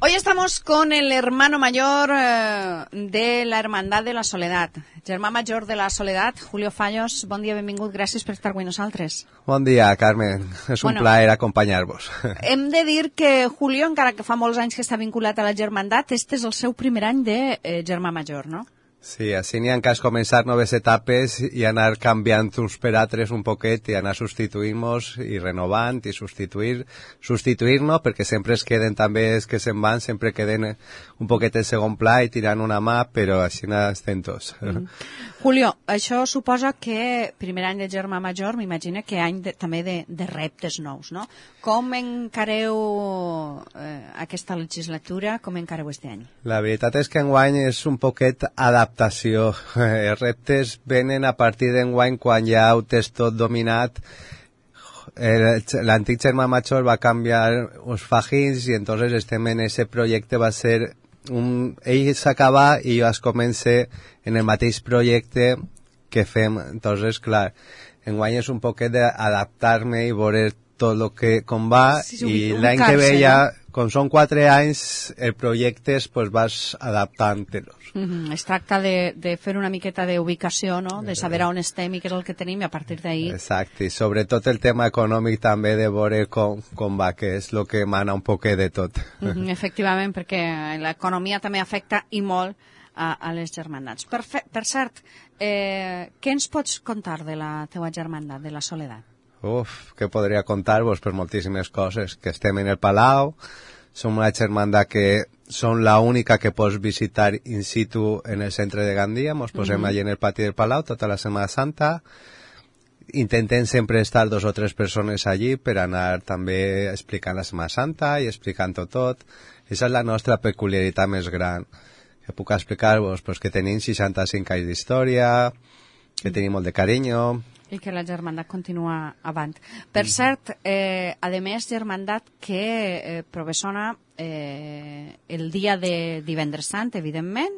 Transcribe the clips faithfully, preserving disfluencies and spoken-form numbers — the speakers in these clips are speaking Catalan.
Hoy estamos con el hermano mayor eh, de la Hermandad de la Soledad, germà major de la Soledad, Julio Fallos. Bon dia, benvingut, gràcies per estar avui nosaltres. Bon dia, Carmen, és un bueno, plaer acompanyar-vos. Hem de dir que Julio, encara que fa molts anys que està vinculat a la germandat, este és el seu primer any de eh, germà major, no? Sí, així n'hi ha cas començar noves etapes i anar canviant uns per altres un poquet i anar substituint-nos i renovant i substituir, substituir-nos perquè sempre es queden també els que se'n van, sempre queden un poquet en segon pla i tirant una mà, però així estem tots. Mm. Julio, això suposa que primer any de germà major, m'imagina que any de, també de, de reptes nous, no? Com encareu eh, aquesta legislatura, com encareu este any? La veritat és que enguany és un poquet adaptació. Els reptes venen a partir d'enguany quan ja ho tens tot dominat. L'antic germà major va canviar uns fagins i entonces estem en ese projecte, va ser un, ell s'acaba i jo es comence en el mateix projecte que fem. Entonces, clar, enguany és un poquet d'adaptar-me i veure tot el que com va, sí, sí, i l'any que ve ja, no? Com són quatre anys, el projectes pues, vas adaptant-te-los. Mm-hmm. Es tracta de, de fer una miqueta d'ubicació, no? De saber on estem i què és el que tenim i a partir d'ahir... Exacte, i sobretot el tema econòmic també de veure com, com va, que és el que mana un poquet de tot. Mm-hmm, efectivament, perquè l'economia també afecta i molt a, a les germandats. Per, fe, per cert, eh, què ens pots contar de la teua germandat, de la Soledat? Uf, què podria contar-vos? Per moltíssimes coses. Que estem en el Palau, som una germandat que som la única que pots visitar in situ en el centre de Gandia, mos posem mm-hmm. allí en el pati del Palau tota la Setmana Santa, intentem sempre estar dos o tres persones allí per anar també explicant la Setmana Santa i explicant-ho tot. Esa és la nostra peculiaritat més gran. Que puc explicar-vos? Pues que tenim seixanta-cinc anys d'història, que tenim molt de carinyo, i que la germandat continua avant. Per cert, eh, a més, germandat que eh, provessona eh, el dia de divendres sant, evidentment,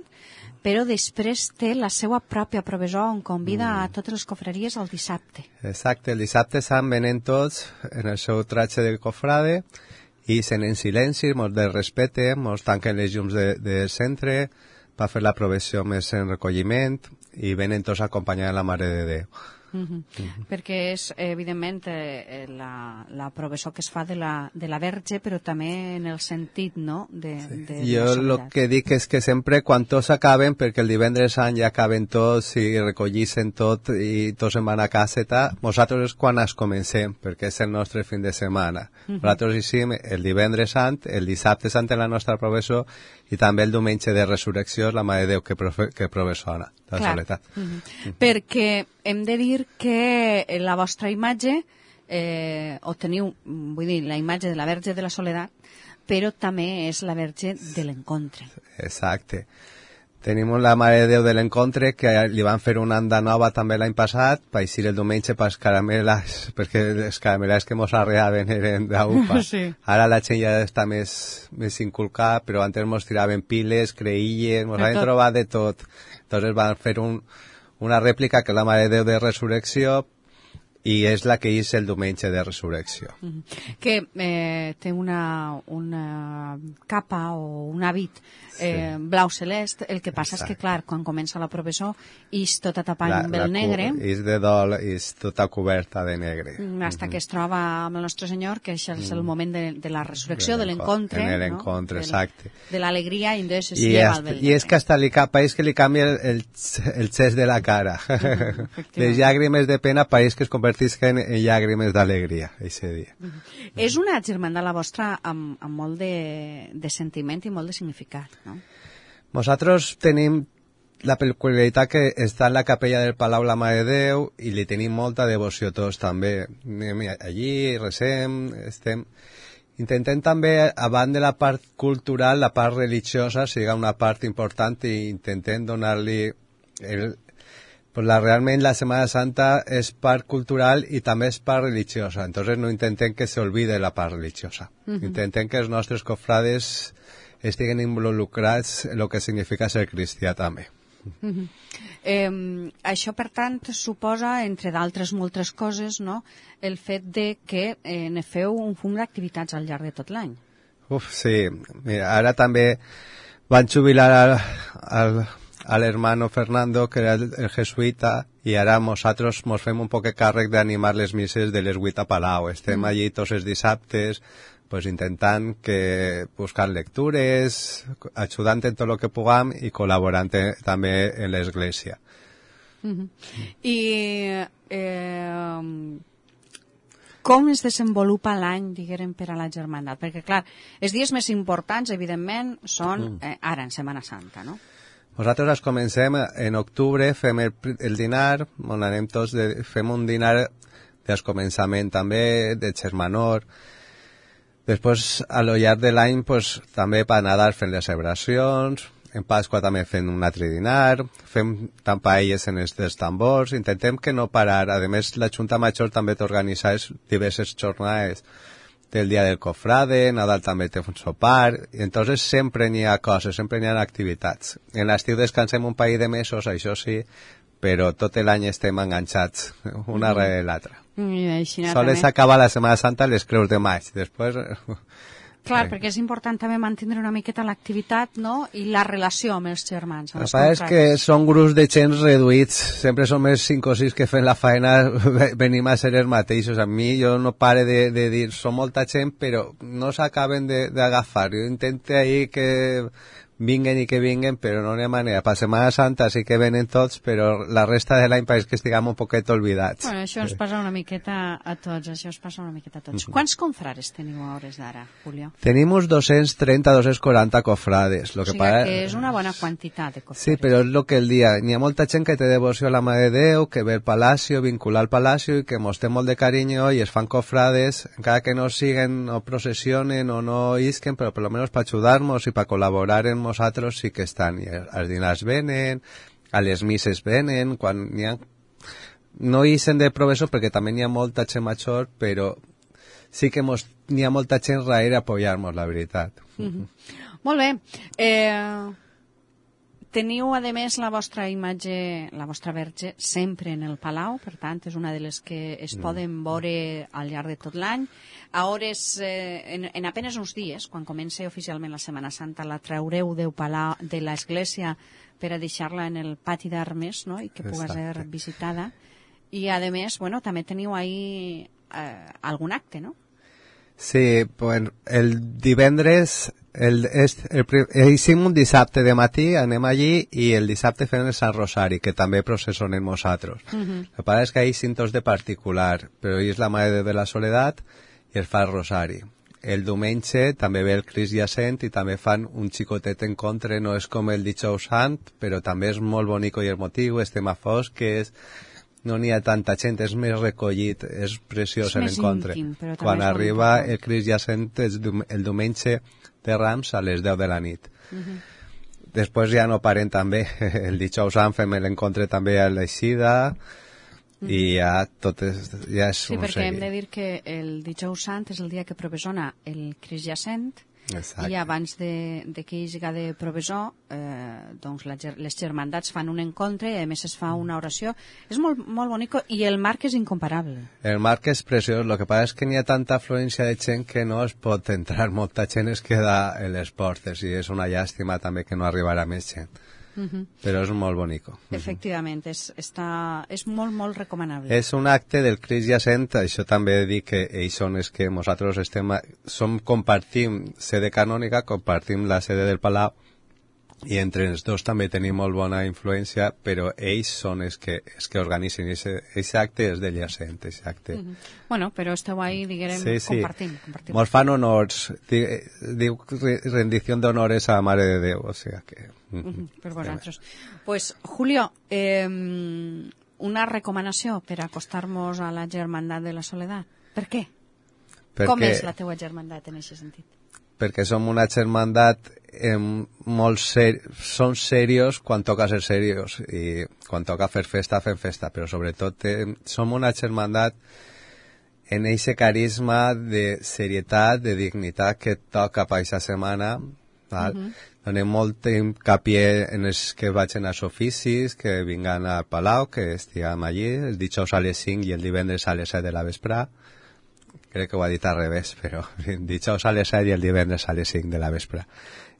però després té la seva pròpia provisió on convida mm. a totes les cofreries el dissabte. Exacte, el dissabte sant venen tots en el seu tratge de cofrade i sent en silenci, mos de respecte, mos tanquen les llums de, de centre per fer la provisió més en recolliment i venen tots acompanyant la Mare de Déu. Mm-hmm. Mm-hmm. Perquè és, evidentment, eh, la, la provisió que es fa de la, de la Verge, però també en el sentit, no?, de, sí. de jo el que dic és que sempre, quan tots acaben, perquè el divendres sant ja acaben tots i recollissen tot i tots se'n van a caseta, nosaltres és quan es comencem, perquè és el nostre fin de setmana. Mm-hmm. Nosaltres hicim el divendres sant, el dissabte sant en la nostra provisió i també el diumenge de resurrecció la Mare de Déu que, profe, que provessona la Clar. Soledat. Mm-hmm. Mm-hmm. Perquè hem de dir que la vostra imatge, eh, o teniu, vull dir, la imatge de la Verge de la Soledat, però també és la Verge de l'Encontre. Exacte. Tenim la Mare de Déu de l'Encontre, que li van fer una anda nova també l'any passat, per eixir el diumenge per les carameles, perquè les carameles que mos arreaven eren d'upa. Sí. Ara la gent ja està més, més inculcada, però antes mos tiraven piles, creïlles, mos han trobat de tot. Entonces van fer un, una rèplica que és la Mare de Déu de Resurrecció, i és la que és el diumenge de Resurrecció. Mm-hmm. Que eh, té una, una capa o un hàbit eh, sí. blau celest. El que passa Exacte. És que, clar, quan comença la provisió és tota tapada amb el negre. És de dol, és tota coberta de negre. Mm, hasta mm-hmm. que es troba amb el Nostre Senyor, que és el, mm. el moment de, de la resurrecció, de l'encontre. En l'encontre, no? exacte. De l'alegria, i entonces es I lleva es, el vel I és que hasta li pareix que li canvia el, el, el xest de la cara. Mm-hmm, les llàgrimes de pena pareix que es convertisquen en llàgrimes d'alegria, aquest dia. Mm-hmm. És una germandat la vostra amb, amb molt de, de sentiment i molt de significat, no? Nosaltres tenim la peculiaritat que està en la capella del Palau la Mare de Déu i li tenim molta devoció tots també. Anem allí, resem, estem... Intentem també, abans de la part cultural, la part religiosa siga una part important i intentem donar-li... El, pues la, realment la Setmana Santa és part cultural i també és part religiosa. Entonces no intentem que se olvide la part religiosa. Uh-huh. Intentem que els nostres cofrades estiguen involucrats en el que significa ser cristià també. Uh-huh. eh, això, per tant, suposa, entre d'altres moltes coses, no?, el fet de que eh, ne feu un fum d'activitats al llarg de tot l'any. Uf, sí. Mira, ara també van jubilar al, al, al hermano Fernando, que era el, el jesuïta, i ara nosaltres mos fem un poc càrrec d'animar les misses de les vuit a Palau. Estem mm. allí tots els dissabtes, pues intentant que buscar lectures, ajudant en tot el que puguem i col·laborant també en l'església. Mm-hmm. I eh, com es desenvolupa l'any, diguem, per a la germandat? Perquè, clar, els dies més importants, evidentment, són eh, ara, en Setmana Santa, no? Nosaltres comencem en octubre, fem el, el dinar, on anem tots, de, fem un dinar del començament també, de Xermanor. Després, a lo llarg de l'any, pues, també per Nadal fem les celebracions, en Pasqua també fem un altre dinar, fem tant paelles en els dels tambors, intentem que no parar. A més, la Junta Major també t'organitza diverses jornades del dia del cofrade, Nadal també té un sopar, i entonces sempre n'hi ha coses, sempre n'hi ha activitats. En l'estiu descansem un parell de mesos, això sí, però tot l'any estem enganxats, una mm. rere l'altra. Mm, Sols acabar la Setmana Santa les creus de maig, després... Clar, sí. Perquè és important també mantenir una miqueta l'activitat, no?, i la relació amb els germans. El que és que són grups de gent reduïts, sempre som els cinc o sis que fem la feina, venim a ser els mateixos. A mi jo no pare de, de dir, som molta gent, però no s'acaben d'agafar. Jo intento ahir que vinguen i que vinguen, però no n'hi ha manera. Per Setmana Santa sí que venen tots, però la resta de l'any pareix que estiguem un poquet olvidats. Bueno, això ens passa una miqueta a tots, això ens passa una miqueta a tots. Mm-hmm. Quants confrares teniu a hores d'ara, Julio? Tenim uns dos-cents trenta a dos-cents quaranta cofrades. Lo o sigui que, para... que és una bona quantitat de cofrades. Sí, però és el que el dia. N'hi ha molta gent que té devoció a la Mare de Déu, que ve al Palacio, vincular al Palacio i que mos té molt de carinyo i es fan cofrades, encara que no siguen o processionen o no isquen, però per lo menos per ajudar-nos i per col·laborar en nosaltres sí que estan. I els dinars venen, a les misses venen, quan n'hi ha... No isen de professor perquè també n'hi ha molta gent major, però sí que mos... n'hi ha molta gent raire a apoyar-nos, la veritat. Mm-hmm. Molt bé. Eh, teniu, a més, la vostra imatge, la vostra verge, sempre en el Palau, per tant, és una de les que es mm. poden veure al llarg de tot l'any. A hores, eh, en, en apenas uns dies, quan comença oficialment la Setmana Santa, la traureu del Palau, de l'església per a deixar-la en el pati d'armes, no?, i que pugui ser visitada. I, a més, bueno, també teniu ahí eh, algun acte, no? Sí, pues el divendres, el, el, el, el, hicim un dissabte de matí, anem allí, i el dissabte fem el Sant Rosari, que també processionem nosaltres. Uh-huh. El que passa és que hi ha cintos de particular, però hi és la Mare de la Soledat i es fa el Rosari. El diumenge també ve el Crist Jacent i també fan un xicotet encontre, no és com el Dijous Sant, però també és molt bonic i emotiu, estem a fosques, no n'hi ha tanta gent, és més recollit, és preciós l'encontre. Quan arriba el Crist Jacent el diumenge de Rams a les deu de la nit. Uh-huh. Després ja no paren també, el Dijous Sant fem l'encontre també a l'Eixida, mm. i ja tot és, ja és sí, un perquè seguit. Hem de dir que el Dijous Sant és el dia que provesona el Crist Jacent. Exacte. I abans de, de que hi hagi de provesor, eh, doncs la, les germandats fan un encontre i a més es fa una oració. És molt, molt bonic i el marc és incomparable. El marc és preciós, el que passa és que n'hi ha tanta afluència de gent que no es pot entrar, molta gent es queda en les portes i és una llàstima també que no arribarà més gent. Uh-huh. Però és molt bonic. Efectivament, és, està, és molt, molt recomanable. És un acte del Crist Jacent, això també dic que ells són els que nosaltres estem, som, compartim sede canònica, compartim la sede del Palau, i entre els dos també tenim molt bona influència, però ells són els que, els que organitzen. Aquest acte és del Jacent, aquest acte. Uh-huh. Bueno, però esteu ahí, diguem, sí, sí. compartim. compartim. Mos fan honors, diu rendició d'honores a la Mare de Déu, o sigui que... Uh-huh. Per vosaltres. Pues, Julio, eh, una recomanació per acostar-nos a la germandat de la Soledat. Per què? Perquè... Com és la teua germandat en aquest sentit? Perquè som una germandat eh, molt ser... som serios quan toca ser serios i quan toca fer festa, fem festa, però sobretot eh, som una germandat en aquest carisma de serietat, de dignitat que toca per aquesta setmana, val? Uh-huh. Donem molt hincapié en els que vagin als oficis, que vinguen al Palau, que estiguem allí, el dijous a les cinc i el divendres a les set de la vesprà, crec que ho ha dit al revés, però dijous a les set i el divendres a les cinc de la vespre.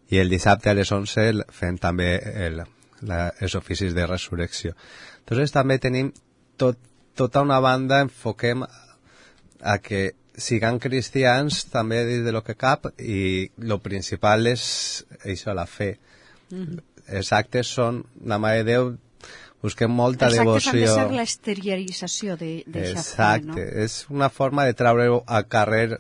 I el dissabte a les onze fem també el, la, els oficis de resurrecció. Entonces també tenim tot, tota una banda, enfoquem a que siguin cristians també des de lo que cap, i lo principal és això, la fe. Mm-hmm. Els actes són la Mare de Déu, busquem molta els devoció. Els actes han de ser l'exteriorització d'aquesta fe, no? Exacte, és una forma de treure-ho al carrer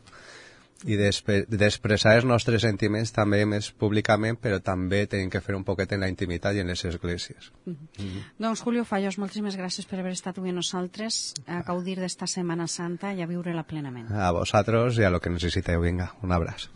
i d'expressar els nostres sentiments també més públicament, però també tenim que fer un poquet en la intimitat i en les esglésies. Mm-hmm. Mm-hmm. Doncs Julio Fallos, moltíssimes gràcies per haver estat avui amb nosaltres, a gaudir d'esta Setmana Santa i a viure-la plenament. A vosaltres i a lo que necessiteu. Vinga, un abraç.